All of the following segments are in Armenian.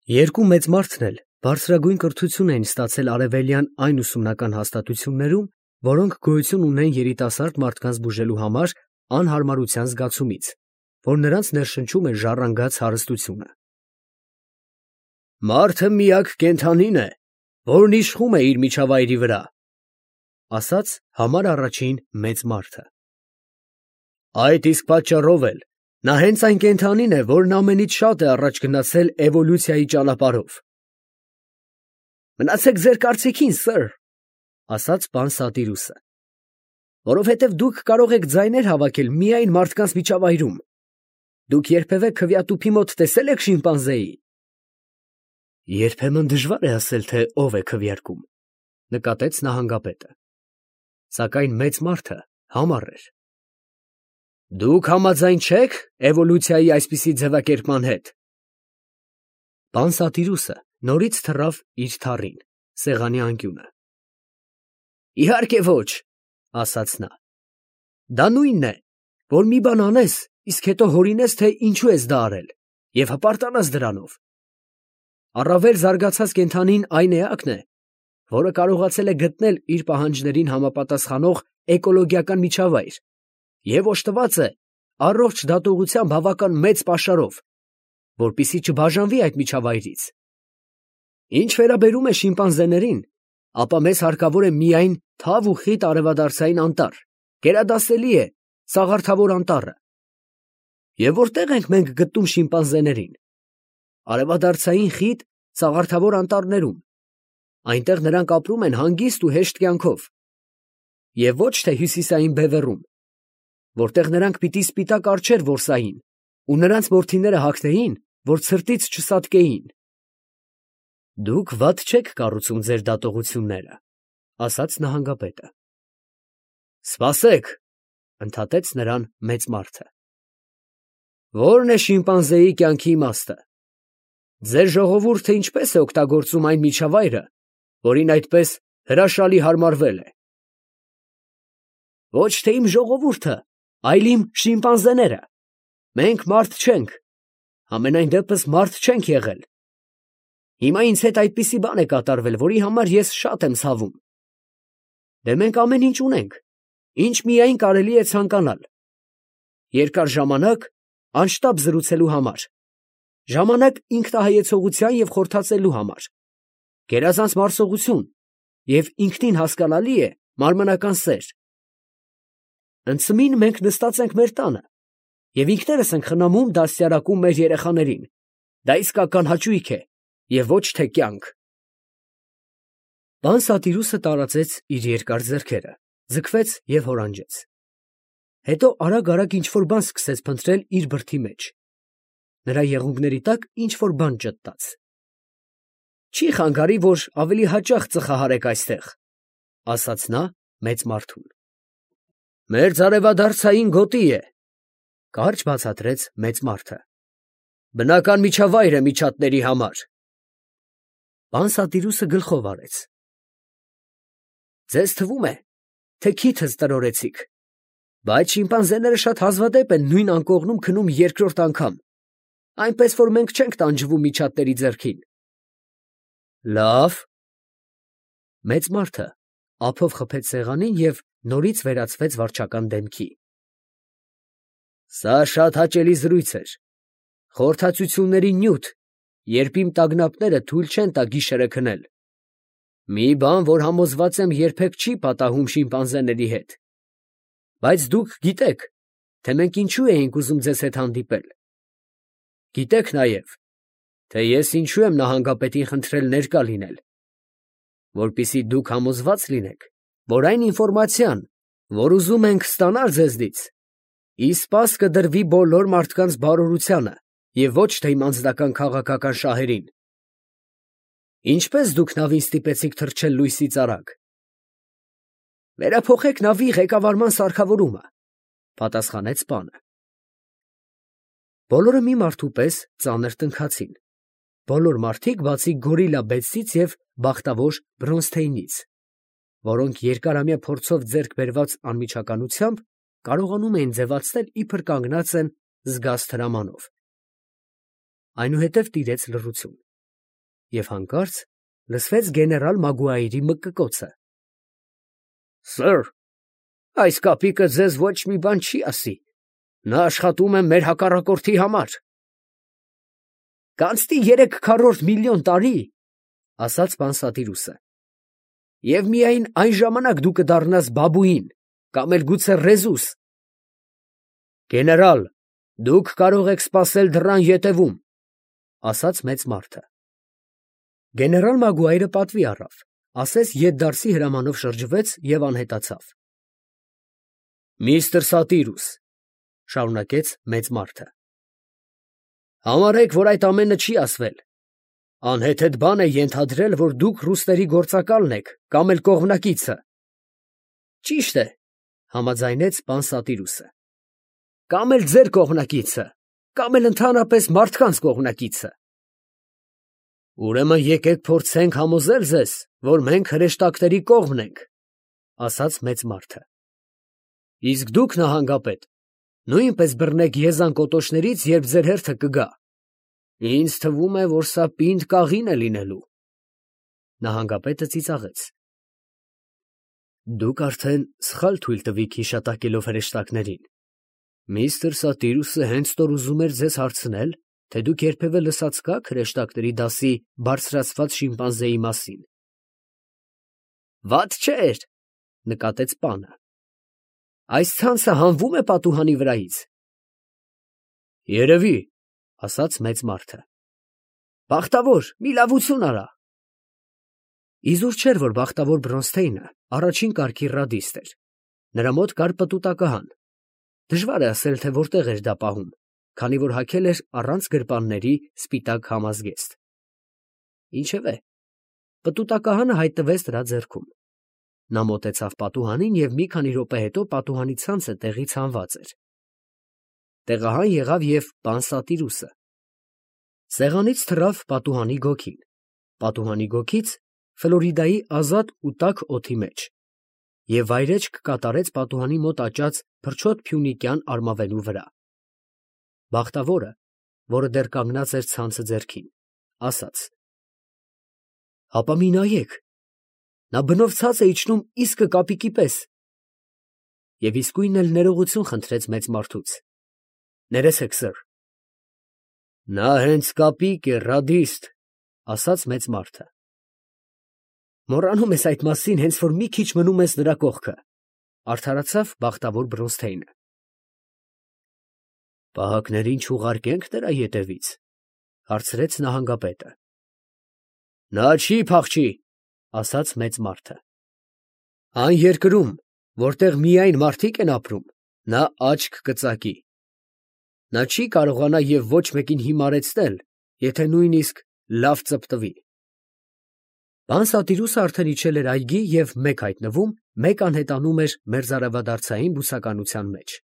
Երկու մեծ մարդն էլ բարձրագույն կրթություն էին ստացել արևելյան այն ուսումնական հաստատություններում, որոնք գոյություն ունեն երիտասարդ մարդկանց բուժելու համար անհարմարության զգացումից, որ նրանց ներշնչում է ժառանգած հարստությունը։ «Մարդը միակ կենդանին է, որն իշխում է իր միջավայրի վրա», ասաց համար առաջին մեծ մարդը։ «Այդ իսկ պատճառով էլ նա հենց այն կենդանին է, որն ամենից շատ է առաջ գնացել էվոլյուցիայի ճանապարհով»։ «Մնացեք ձեր կարծիքին, սըր», ասաց պան Սատիրուսը, «որովհետև դուք կարող եք ձայներ հավաքել միայն մարդկանց միջավայրում։ Դուք երբևէ քվեատուփի մոտ տեսե՞լ եք շիմպանզեի»։ «Երբեմն դժվար է ասել, թե ով է քվեարկում», նկատեց նահանգապետը, սակայն մեծ մարդը համառ էր։ «Դուք համաձայն չե՞ք էվոլյուցիայի այսպիսի ձևակերպման հետ»։ Պան Սատիրուսը նորից թռավ իր թառին, սեղանի անկյունը։ «Իհարկե ոչ», ասաց նա։ «Դա նույնն է, որ մի բան անես, իսկ հետո հորինես, թե ինչու ես դա արել, և հպարտանաս դրանով։ Առավել զարգացած կենդանին այն էակն է, որը կարողացել է գտնել իր պահանջներին համապատասխանող էկոլոգիական միջավայր և օժտված է առողջ դատողության բավական մեծ պաշարով, որպեսզի չբաժանվի այդ միջավայրից։ Ինչ վերաբերում է շիմպանզեներին, ապա մեզ հարկավոր է միայն թավ ու խիտ արևադարձային անտառ, գերադասելի է Սաղարթավոր անտառը։ Եվ որտե՞ղ ենք մենք գտնում շիմպանզեներին։ Արևադարձային խիտ Սաղարթավոր անտառներում, այնտեղ նրանք ապրում են հանգիստ ու հեշտ կյանքով, և ոչ թե հյուսիսային բևեռում, որտեղ նրանք պիտի սպիտակ արջեր որսային ու նրանց որդիները հագնեին, որ ցրտից չսատկեին։ Դուք վատ չեք կառուցում ձեր դատողությունները, ասաց նահանգապետը։ Սպասեք, ընդհատեց նրան մեծ մարդը։ Ո՞րն է շիմպանզեի կյանքի իմաստը։ Ձեր ժողովուրդը ինչպես է օգտագործում այն միջավայրը, որին այդպես հրաշալի հարմարվել է։ Ոչ թե իմ ժողովուրդը, այլ իմ շիմպանզեները։ Մենք մարդ չենք, համենայն դեպս մարդ չենք եղել։ Հիմա ինձ հետ այդպիսի բան է կատարվել, որի համար ես շատ եմ ցավում։ Դե մենք ամեն ինչ ունենք, ինչ միայն կարելի է ցանկանալ. երկար ժամանակ անշտապ զրուցելու համար, ժամանակ ինքնահայեցողության և խորթացելու համար, գերազանց մարսողություն և ինքնին հասկանալի է մարմնական սեր։ Ընծմին մենք նստած ենք մեր տանը և ինքներս ենք խնամում դաստիարակում մեր երեխաներին, դա իսկական հաճույք է և ոչ թե կյանք։ Պան Սատիրուսը տարածեց իր երկար ձեռքերը, ձգվեց և հորանջեց։ Հետո արագ ինչ-որ բան սկսեց փնտրել իր բրդի մեջ։ Նրա եղունգների տակ ինչ-որ բան ճտտաց։ Չի խանգարի, որ ավելի հաճախ ծխահարեք այստեղ, ասաց նա մեծ մարդուն։ Մերձարևադարձային գոտի է, կարճ բացատրեց մեծ մարդը։ Բնական միջավայր է միջատների համար։ Պան Սատիրուսը գլխով արեց։ Ձեզ թվում է, թե քիթս տրորեցիք, բայց շիմպանզեները շատ հազվադեպ են նույն անկողնում քնում երկրորդ անգամ, այնպես որ մենք չենք տանջվում միջատների ձեռքին։ Լավ։ Մեծ մարդը ափով խփեց սեղանին և նորից վերածվեց վարչական դեմքի։ Սա շատ հաճելի զրույց էր։ Խորհրդածությունների նյութ, երբ իմ տագնապները թույլ չեն տա գիշերը քնել։ Մի բան, որ համոզված եմ երբեք չի պատահում շիմպանզեների հետ։ Բայց դուք գիտեք, թե մենք ինչու էինք ուզում ձեզ հետ հանդիպել։ Գիտեք նաև, թե ես ինչու եմ նահանգապետին խնդրել ներկա լինել, որպեսզի դուք համոզված լինեք, որ այն ինֆորմացիան, որ ուզում ենք ստանալ ձեզնից, ի սպաս կդրվի բոլոր մարդկանց բարօրությանը և ոչ թե իմ անձնական քաղաքական շահերին։ Ինչպես դուք նավին ստիպեցիք թռչել լույսից արագ։ Վերափոխեք նավի ղեկավարման սարքավորումը, պատասխանեց պանը։ Բոլորը մի մարդու պես ծանր տնքացին։ Բոլոր մարդիկ, բացի գորիլա Բեթսից և բախտավոր Բրոնզթեյնից, որոնք երկարամյա փորձով ձեռք բերված անմիջականությամբ կարողանում էին ձևացնել, իբր կանգնած են զգաստ հրամանով։ Այնուհետև տիրեց լռություն։ և հանկարծ լսվեց գեներալ Մագուայրի մկկոցը. Սըր, այս կապիկը ձեզ ոչ մի բան չի ասի. նա աշխատում է մեր հակառակորդի համար։ Կանցնի 300 միլիոն տարի, ասաց Պանսատիրուսը, և միայն այն ժամանակ դու կդառնաս բաբուին, կամ էլ գուցե ռեզուս։ Գեներալ, դուք կարող եք սպասել դռան ետևում, ասաց մեծ մարդը։ Գեներալ Մագուայրը պատվի առավ, ասես ետդարձի հրամանով շրջվեց և անհետացավ։ Միստր Սատիրուս, շարունակեց մեծ մարդը, համարեք, որ այդ ամենը չի ասվել։ Անհեթեթ բան է ենթադրել, որ դուք ռուսների գործակալն եք կամ էլ կողմնակիցը։ Ճիշտ է, համաձայնեց Պանսատիրուսը, կամ էլ ձեր կողմնակիցը, կամ էլ ընդհանրապես մարդկանց կողմնակիցը։ Ուրեմն եկեք փորձենք համոզել ձեզ, որ մենք հրեշտակների կողմն ենք, ասաց մեծ մարդը։ Իսկ դուք, նահանգապետ, նույնպես բռնեք եզան կոտոշներից, երբ ձեր հերթը կգա։ Ինձ թվում է, որ սա պինդ կաղին է լինելու։ Նահանգապետը ծիծաղեց։ Դուք արդեն սխալ թույլ տվիք հիշատակելով հրեշտակներին։ Միստր Սատիրուսը հենց տոր ուզում էր ձեզ հարցնել, թե դուք երբևէ լսած կաք հրեշտակների դասի բարձրացված շիմպանզեի մասին։ Վատ չէր, նկատեց պանը։ Այս ցանցը հանվում է պատուհանի վրայից։ Երևի, ասաց մեծ մարդը։ Բախտավոր, մի լավություն արա։ Իզուր չէր, որ բախտավոր Բրոնսթեյնը առաջին կարգի ռադիստ էր։ Նրա մոտ կար պտուտակահան։ Դժվար է ասել, թե որտեղ էր դա պահում, քանի որ հագել էր առանց գրպանների սպիտակ համազգեստ։ Ինչևէ, պտուտակահանը հայտնվեց նրա ձեռքում։ Նա մոտեցավ պատուհանին և մի քանի րոպե հետո պատուհանի ցանցը տեղից հանված էր։ Տեղահան եղավ և Պանսատիրուսը։ Սեղանից թռավ պատուհանի գոգին, պատուհանի գոգից Ֆլորիդայի ազատ ու տաք օդի մեջ, և վայրէջք կատարեց պատուհանի մոտ աճած փրչոտ փյունիկյան արմավենու վրա։ Բախտավորը, որը դեռ կանգնած էր ցանցը ձեռքին, ասաց. Հապա մի նայեք, նա բնով ցած է իջնում իսկը կապիկի պես։ Եվ իսկույն էլ ներողություն խնդրեց մեծ մարդուց. Ներեցեք, սըր։ Նա հենց կապիկ է, ռադիստ, ասաց մեծ մարդը։ Մոռանում ես այդ մասին, հենց որ մի քիչ մնում ես նրա կողքը, արդարացավ բախտավոր Բրոնսթեյնը։ Պահակներին չուղարկենք նրա ետևից, հարցրեց նահանգապետը։ Նա չի փախչի, ասաց մեծ մարդը։ Այն երկրում, որտեղ միայն մարդիկ են ապրում, նա աչք կծակի։ Նա չի կարողանա և ոչ մեկին հիմարեցնել, եթե նույնիսկ լավ ծպտվի։ Պանսատիրուսը արդեն իջել էր այգի և մեկ հայտնվում, մեկ անհետանում էր մերձարևադարձային բուսականության մեջ։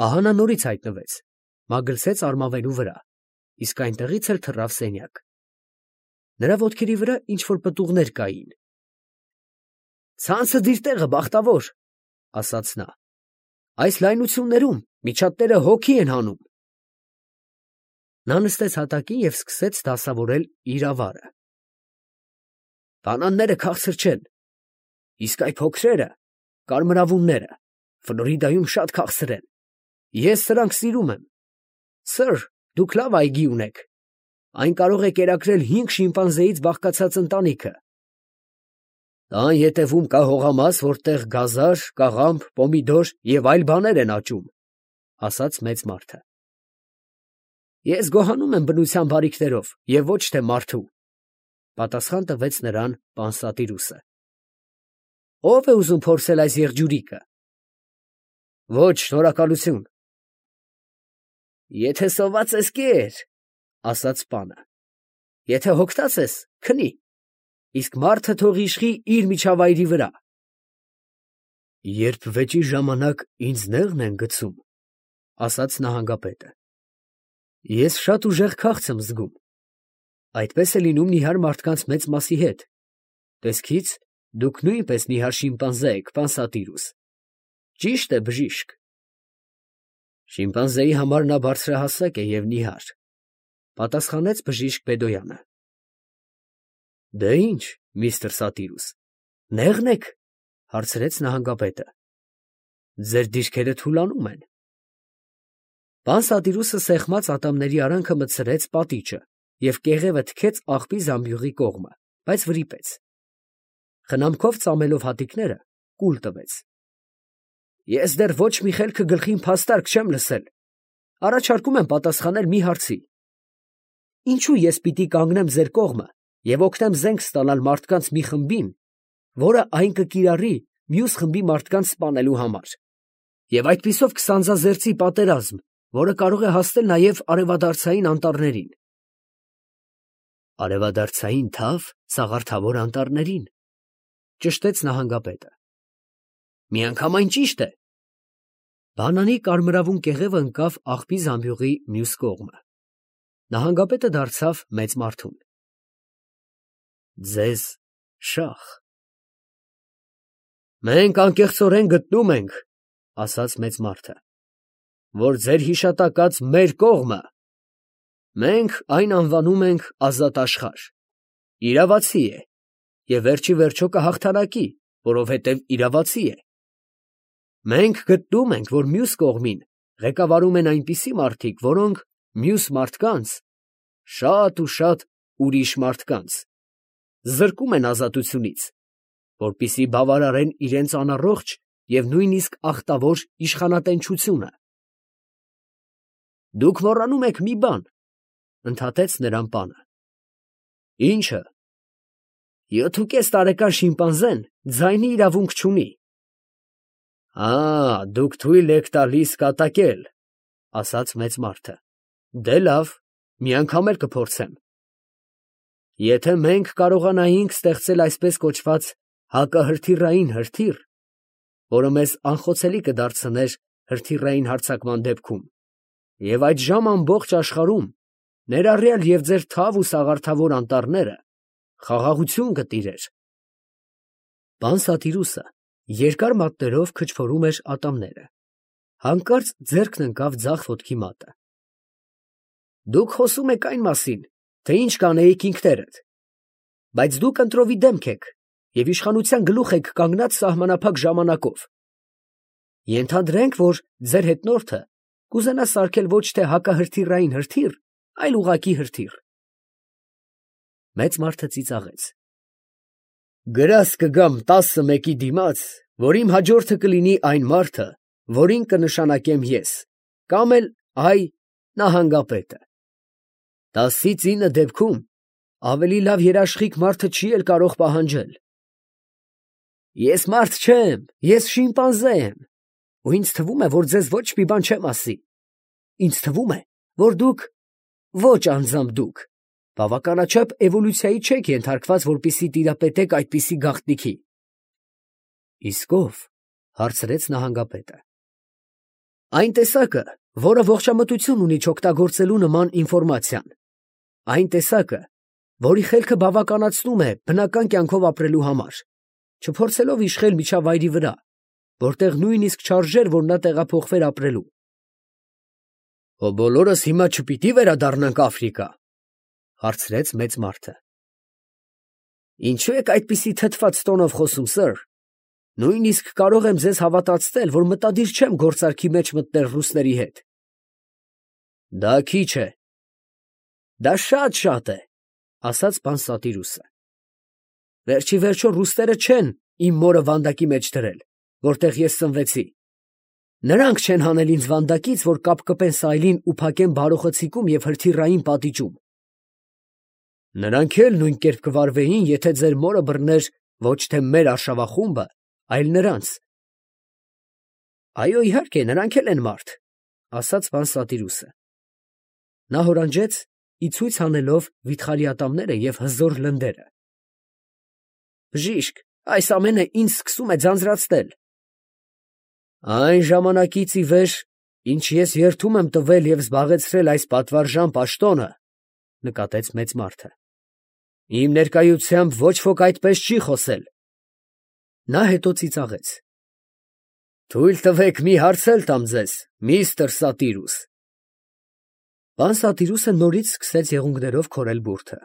Ահա նա նորից հայտնվեց, մագլցեց արմավենու վրա, իսկ այնտեղից էլ թռավ սենյակ։ Նրա ոտքերի վրա ինչ֊որ պտուղներ կային։ Ցանցը դիր տեղը, բախտավոր, ասաց նա։ Այս լայնություններում միջատները հոգի են հանում։ Նա նստեց հատակին և սկսեց դասավորել իր ավարը։ Բանանները քաղցր չեն, իսկ այ փոքրերը, կարմրավունները, Ֆլորիդայում շատ քաղցր են։ Ես սրանք սիրում եմ։ Սըր, դուք լավ այգի ունեք։ Այն կարող է կերակրել 5 շիմպանզեից բաղկացած ընտանիքը։ Տան ետևում կա հողամաս, որտեղ գազար, կաղամբ, պոմիդոր և այլ բաներ են աճում, ասաց մեծ մարդը։ Ես գոհանում եմ բնության բարիքներով և ոչ թե մարդու, պատասխան տվեց նրան Պանսատիրուսը։ Ո՞վ է ուզում փորձել այս եղջյուրիկը։ Ոչ, շնորհակալություն։ Եթե սոված ես, կեր, ասաց պանը։ Եթե հոգտած ես, քնի, իսկ մարդը թող իշխի իր միջավայրի վրա։ Երբ վեճի ժամանակ ինձ նեղն են գցում, ասաց նահանգապետը, ես շատ ուժեղ քաղց եմ զգում։ Այդպես է լինում նիհար մարդկանց մեծ մասի հետ։ Տեսքից դուք նույնպես նիհար շիմպանզե եք, Պանսատիրուս։ Ճիշտ է, բժիշկ։ Շիմպանզեի համար նա բարձրահասակ է և նիհար, պատասխանեց բժիշկ Բեդոյանը։ Դե ինչ, միստր Սատիրուս, նեղն եք, հարցրեց նահանգապետը։ Ձեր դիրքերը թուլանում են։ Պան Սատիրուսը սեղմած ատամների արանքը մտցրեց պատիճը և կեղևը թքեց աղբի զամբյուղի կողմը, բայց վրիպեց։ Խնամքով ծամելով հատիկները, կուլ տվեց։ Ես դեռ ոչ մի խելքը գլխին փաստարկ չեմ լսել։ Առաջարկում եմ պատասխանել մի հարցի։ Ինչու ես պիտի կանգնեմ ձեր կողմը և օգնեմ զենք ստանալ մարդկանց մի խմբին, որը այն կկիրառի մյուս խմբի մարդկանց սպանելու համար, և այդպիսով կսանձազերծի պատերազմ, որը կարող է հասնել նաև արևադարձային անտառներին։ Արևադարձային թավ սաղարթավոր անտառներին, ճշտեց նահանգապետը։ Միանգամայն ճիշտ է։ Բանանի կարմրավուն կեղևը ընկավ աղբի զամբյուղի մյուս կողմը։ Նահանգապետը դարձավ մեծ մարդուն։ Ձեզ շախ։ Մենք անկեղծորեն գտնում ենք, ասաց մեծ մարդը, որ ձեր հիշատակած մեր կողմը, մենք այն անվանում ենք ազատ աշխարհ, իրավացի է և վերջի վերջո կհաղթանակի, որովհետև իրավացի է։ Մենք գտնում ենք, որ մյուս կողմին ղեկավարում են այնպիսի մարդիկ, որոնք մյուս մարդկանց, շատ ու շատ ուրիշ մարդկանց, զրկում են ազատությունից, որպեսզի բավարարեն իրենց անառողջ և նույնիսկ ախտավոր իշխանատենչությունը։ Դուք մոռանում եք մի բան, ընդհատեց նրան պանը։ Ի՞նչը։ 7.5 տարեկան շիմպանզեն ձայնի իրավունք չունի։ Դուք թույլ եք տալիս կատակել, ասաց մեծ մարդը։ Դե լավ, մի անգամ էլ կփորձեմ։ Եթե մենք կարողանայինք ստեղծել այսպես կոչված հակահրթիռային հրթիռ, որը մեզ անխոցելի կդարձներ հրթիռային հարձակման դեպքում, և այդ ժամ ամբողջ աշխարհում, ներառյալ և ձեր թավ ու սաղարթավոր անտառները, խաղաղություն կտիրեր։ Պան Սատիրուսը երկար մատներով քչփորում էր ատամները, հանկարծ ձեռքն ընկավ ձախ ոտքի մատը։ Դուք խոսում եք այն մասին, թե ինչ կանեիք ինքներդ, բայց դուք ընտրովի դեմք եք և իշխանության գլուխ եք կանգնած սահմանափակ ժամանակով։ Ենթադրենք, որ ձեր հետնորդը կուզենա սարքել ոչ թե հակահրթիռային հրթիռ, այլ ուղղակի հրթիռ։ Մեծ մարդը ծիծաղեց։ Գրազ կգամ 11-ի դիմաց, որ իմ հաջորդը կլինի այն մարդը, որին կնշանակեմ ես, կամ էլ նահանգապետը։ 10-9 դեպքում ավելի լավ երաշխիք մարդը չի էլ կարող պահանջել։ Ես մարդ չեմ, ես շիմպանզե եմ, ու ինձ թվում է, որ ձեզ ոչ մի բան չեմ ասի։ Ինձ թվում է, որ դուք, ոչ անձամբ դուք, բավականաչափ էվոլյուցիայի չեք ենթարկված, որպեսզի տիրապետեք այդպիսի գաղտնիքի։ Իսկ ո՞վ, հարցրեց նահանգապետը։ Այն տեսակը, որը ողջամտություն ունի չօգտագործելու նման ինֆորմացիան, այն տեսակը, որի խելքը բավականացնում է բնական կյանքով ապրելու համար, չփորձելով իշխել միջավայրի վրա, որտեղ նույնիսկ չարժեր, որ նա տեղափոխվեր ապրելու։ Բոլորս հիմա չպիտի վերադառնանք Աֆրիկա, հարցրեց մեծ մարդը։ Ինչու եք այդպիսի թթված տոնով խոսում, սըր։ Նույնիսկ կարող եմ ձեզ հավատացնել, որ մտադիր չեմ գործարքի մեջ մտնել ռուսների հետ։ Դա քիչ է։ Դա շատ է, ասաց պան Սատիրուսը։ Վերջի վերջո ռուսները չեն իմ մորը վանդակի մեջ դրել, որտեղ ես ծնվեցի։ Նրանք չեն հանել ինձ վանդակից, որ կապկպեն սայլին ու փակեն բարոխցիկում և հրթիռային պատիճում։ Նրանք էլ նույն կերպ կվարվեին, եթե ձեր մորը բռներ ոչ թե մեր արշավախումբը, այլ նրանց։ Այո, իհարկե, նրանք էլ են մարդ, ասաց պան Սատիրուսը։ Նա հորանջեց, ի ցույց անելով վիթխարի ատամները և հզոր լնդերը։ Բժիշկ, այս ամենը ինձ սկսում է ձանձրացնել։ Այն ժամանակից ի վեր, ինչ ես երդում եմ տվել և զբաղեցրել այս պատվարժան պաշտոնը, նկատեց մեծ մարդը, իմ ներկայությամբ ոչ ոք այդպես չի խոսել։ Նա հետո ծիծաղեց։ Թույլ տվեք մի հարց էլ տամ ձեզ, միստր Սատիրուս։ Պան Սատիրուսը նորից սկսեց եղունգներով քորել բուրդը։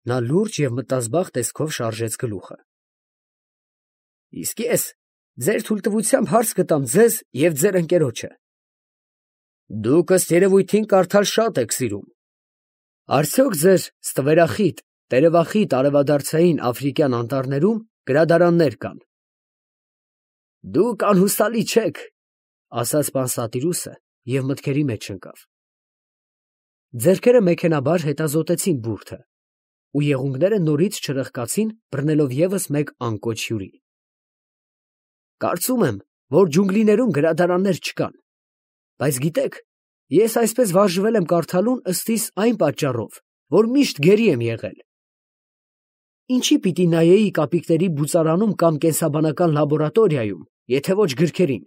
Նա լուրջ և մտազբաղ տեսքով շարժեց գլուխը։ Իսկ ես ձեր թույլտվությամբ հարց կտամ ձեզ և ձեր ընկերոջը. դուք ըստ երևույթին կարդալ շատ եք սիրում. արդյոք ձեր ստվերախիտ, տերևախիտ արևադարձային աֆրիկյան անտառներում գրադարաններ կան։ Դուք անհուսալի չեք, ասաց Պանսատիրուսը և մտքերի մեջ ընկավ։ Ձեռքերը մեքենայաբար հետազոտեցին բուրդը, ու եղունգները նորից չրխկացին, բռնելով ևս մեկ անկոչ հյուրի։ Կարծում եմ, որ ջունգլիներում գրադարաններ չկան, բայց գիտեք, ես այսպես վարժվել եմ կարդալուն ըստիս այն պատճառով, որ միշտ գերի եմ եղել։ Ինչի պիտի նայեի կապիկների բուծարանում կամ կենսաբանական լաբորատորիայում, եթե ոչ գրքերին,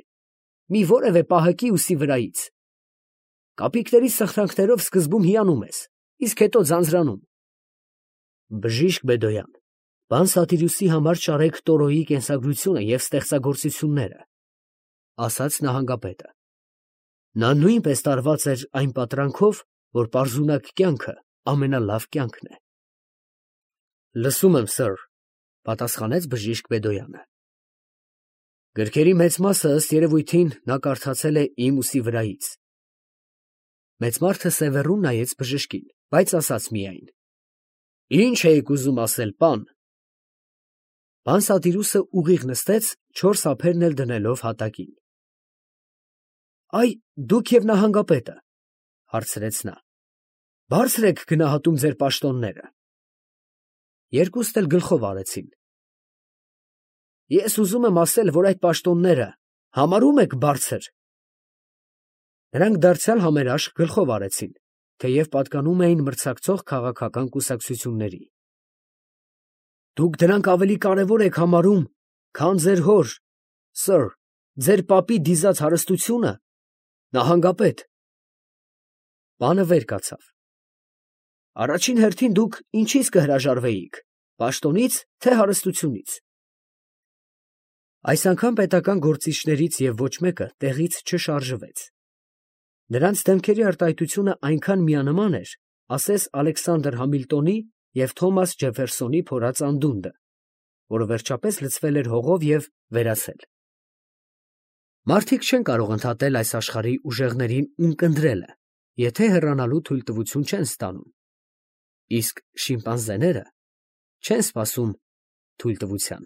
մի որևէ պահակի ուսի վրայից։ Կապիկների սխրանքներով սկզբում հիանում ես, իսկ հետո ձանձրանում։ Բժիշկ Բեդոյան, պան Սատիրուսի համար շարեք Տորոյի կենսագրությունը և ստեղծագործությունները, ասաց նահանգապետը։ Նա նույնպես տարված էր այն պատրանքով, որ պարզունակ կյանքը ամենալավ կյանքն է։ Լսում եմ, սըր, պատասխանեց բժիշկ Բեդոյանը։ Գրքերի մեծ մասը ըստ երևույթին նա կարդացել է իմ ուսի վրայից։ Մեծ մարդը սևեռուն նայեց բժշկին, բայց ասաց միայն. Ինչ էիք ուզում ասել, պան։ Պան Սատիրուսը ուղիղ նստեց, չորս ափերն էլ դնելով հատակին։ Այ, դուք և նահանգապետը, հարցրեց նա, բարձր եք գնահատում ձեր պաշտոնները։ Երկուստ էլ գլխով արեցին։ Ես ուզում եմ ասել, որ այդ պաշտոնները համարում եք բարձր։ Նրանք դարձյալ համերաշխ գլխով արեցին, թեև պատկանում էին մրցակցող քաղաքական կուսակցությունների։ Դուք դրանք ավելի կարևոր եք համարում, քան ձեր հոր, սըր, ձեր պապի դիզած հարստությունը, նահանգապետ։ Պանը վեր կացավ։ Առաջին հերթին դուք ինչից կհրաժարվեիք, պաշտոնից, թե հարստությունից։ Այս անգամ պետական գործիչներից և ոչ մեկը տեղից չշարժվեց։ Նրանց դեմքերի արտահայտությունը այնքան միանման էր, ասես Ալեքսանդր Համիլտոնի և Թոմաս Ջեֆերսոնի փորած անդունդը, որը վերջապես լցվել էր հողով և վերացել։ Մարդիկ չեն կարող ընդհատել այս աշխարհի ուժեղներին ունկնդրելը, եթե հեռանալու թույլտվություն չեն ստանում, իսկ շիմպանզեները չեն սպասում թույլտվության։